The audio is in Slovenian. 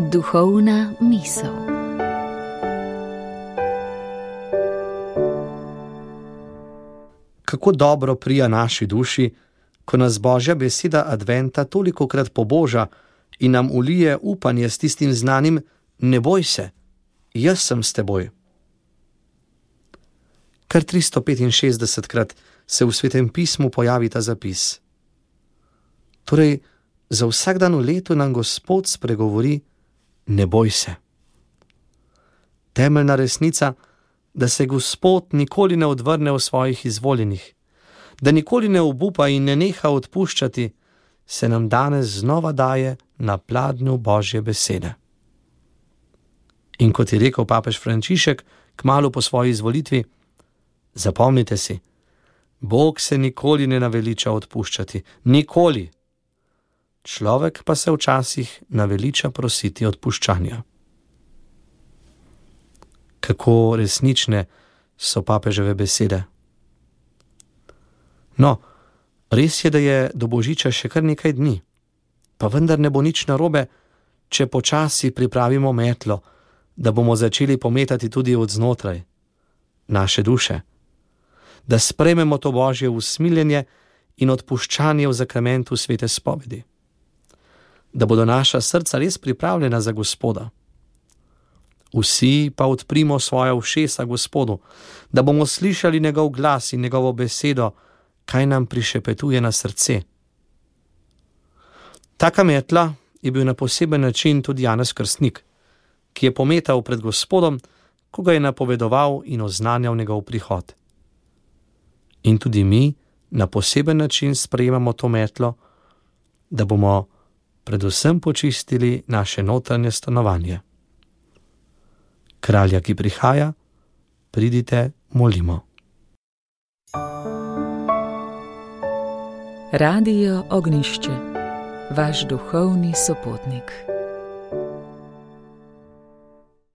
Duhovna misel. Kako dobro prija naši duši, ko nas Božja beseda adventa tolikokrat poboža in nam ulije upanje s tistim znanim: ne boj se, jaz sem s teboj. Kar 365krat se v Svetem pismu pojavi ta zapis. Torej, za vsak dan v letu nam Gospod spregovori: ne boj se. Temeljna resnica, da se Gospod nikoli ne odvrne v svojih izvoljenih, da nikoli ne obupa in ne neha odpuščati, se nam danes znova daje na pladnju Božje besede. In kot je rekel papež Frančišek kmalu po svoji izvolitvi: zapomnite si, Bog se nikoli ne naveliča odpuščati, nikoli. Človek pa se včasih naveliča prositi odpuščanja. Kako resnične so papeževe besede. No, res je, da je do Božiča še kar nekaj dni, pa vendar ne bo nič narobe, če počasi pripravimo metlo, da bomo začeli pometati tudi od znotraj naše duše, da sprejmemo to Božje usmiljenje in odpuščanje v zakramentu svete spovedi, da bodo naša srca res pripravljena za Gospoda. Vsi pa odprimo svoja ušesa Gospodu, da bomo slišali njegov glas in njegovo besedo, kaj nam prišepetuje na srce. Taka metla je bil na poseben način tudi Janez Krstnik, ki je pometal pred Gospodom, ko ga je napovedoval in oznanjal njegov prihod. In tudi mi na poseben način sprejemamo to metlo, da bomo predvsem počistili naše notranje stanovanje. Kralja, ki prihaja, pridite, molimo. Radio Ognjišče, vaš duhovni sopotnik.